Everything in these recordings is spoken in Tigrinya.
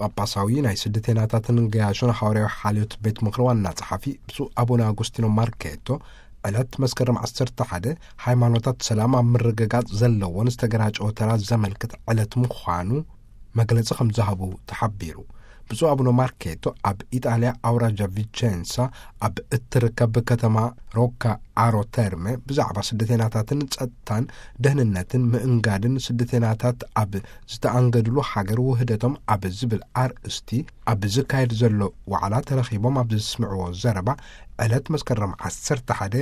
ጳጳሳዊ ናይ ስደተይናታትን ገያሾን ሓዋርያዊ ሓልዮት ቤት ምኽሪ ዋና ጸሓፊ ብፁዕ ኣቡነ ኣጉስቲኖ ማርኬቶ፣ ዕለት መስከረም ዓሰርተ ሓደ፣ ሃይማኖታት ሰላም ኣብ ምርግጋጽ ዘለዎን ዝተገራጨወ ተራ ዘመልክት ዕለት ምዃኑ መግለጺ ከም ዝሃቡ ተሓቢሩ። ብፁዕ ኣቡነ ማርኬቶ ኣብ ኢጣልያ ኣውራጃ ቪቸንሳ ኣብ እትርከብ ከተማ ሮካ ኣሮ ተርመ ብዛዕባ ስደተይናታትን ጸጥታን ደህንነትን ምእንጋድን ስደተይናታት ኣብ ዝተኣንገድሉ ሃገር ውህደቶም ኣብ ዝብል ኣርእስቲ ኣብ ዝካየድ ዘሎ ዋዕላ ተረኺቦም ኣብ ዘስምዕዎ ዘረባ፣ ዕለት መስከረም ዓሰርተ ሓደ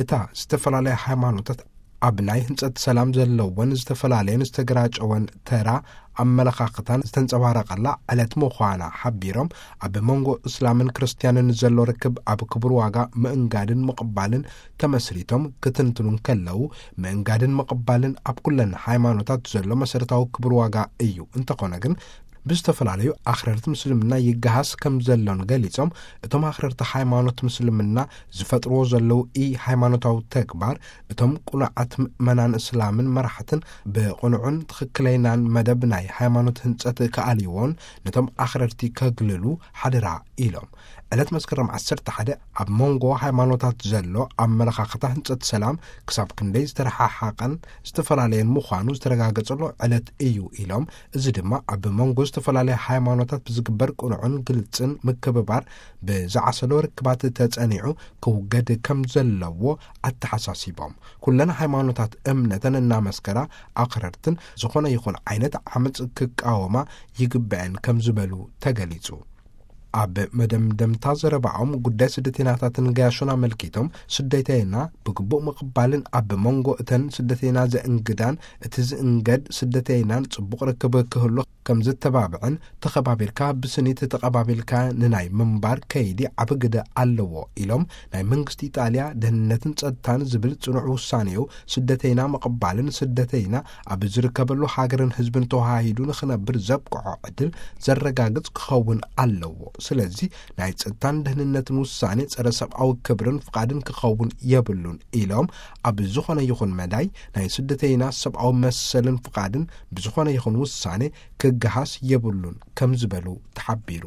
እታ ዝተፈላለያ ሃይማኖታት ኣብ ናይ ህንጸት ሰላም ዘለወን ዝተፈላለየን ዝተገራጨወን ተራ ኣመለኻኽታን ዝተንጸባረቐላ ዕለት ምዃና ሓቢሮም፣ ኣብ መንጎ እስላምን ክርስትያንን ዘሎ ርክብ ኣብ ክቡር ዋጋ ምእንጋድን ምቕባልን ተመስሪቶም ክትንትኑ እንከለዉ፣ ምእንጋድን ምቕባልን ኣብ ኩለን ሃይማኖታት ዘሎ መሰረታዊ ክቡር ዋጋ እዩ። እንተኾነ ግን፣ ብዝተፈላለዩ ኣኽረርቲ ምስልምና ይገሃስ ከም ዘሎን ገሊጾም፣ እቶም ኣኽረርቲ ሃይማኖት ምስልምና ዝፈጥርዎ ዘለዉ ኢ ሃይማኖታዊ ተግባር፣ እቶም ቅኑዓት ምእመናን እስላምን መራሕትን ብቕኑዕን ትኽክለይናን መደብ ናይ ሃይማኖት ህንጸት ክኣልይዎን ነቶም ኣኽረርቲ ከግልሉ ሓደራ ኢሎም። ዕለት መስከረም ዓሰርተ ሓደ ኣብ መንጎ ሃይማኖታት ዘሎ ኣመለኻኽታ ህንጸት ሰላም ክሳብ ክንደይ ዝተረሓሓቐን ዝተፈላለየን ምዃኑ ዝተረጋገጸሉ ዕለት እዩ ኢሎም፣ እዚ ድማ ኣብ መንጎ ዝተፈላለያ ሃይማኖታት ብዝግበር ቅኑዕን ግልጽን ምክብባር ብዝዓሰሎ ርክባት ተጸኒዑ ክውገድ ከም ዘለዎ ኣተሓሳሲቦም፣ ኩለን ሃይማኖታት እምነተን እናመስከራ ኣኽረርትን ዝኾነ ይኹን ዓይነት ዓመጽ ክቃወማ ይግበአን ከም ዝበሉ ተገሊጹ። ኣብ መደምደምታ ዘረባኦም፣ ጉዳይ ስደተይናታትን ገያሾን ኣመልኪቶም፣ ስደተይና ብግቡእ ምቕባልን ኣብ መንጎ እተን ስደተይና ዘእንግዳን እቲ ዝእንገድ ስደተይናን ጽቡቕ ርክብ ክህሉ ከም ዝተባብዕን፣ ተኸባቢርካ ብስኒት ተቐባቢልካ ንናይ ምንባር ከይዲ ዓቢ ግደ ኣለዎ ኢሎም፣ ናይ መንግስቲ ኢጣልያ ደህንነትን ጸጥታን ዝብል ጽኑዕ ውሳኔኡ ስደተይና ምቕባልን ስደተይና ኣብ ዝርከበሉ ሃገርን ህዝብን ተዋሃሂዱ ንኽነብር ዘብቅዖ ዕድል ዘረጋግጽ ክኸውን ኣለዎ። ስለዚ ናይ ጸጥታን ደህንነትን ውሳኔ ጸረ ሰብኣዊ ክብርን ፍቓድን ክኸውን የብሉን ኢሎም፣ ኣብ ዝኾነ ይኹን መዳይ ናይ ስደተይና ሰብኣዊ መሰልን ፍቓድን ብዝኾነ ይኹን ውሳኔ ክገሃስ የብሉን ከም ዝበሉ ተሓቢሩ።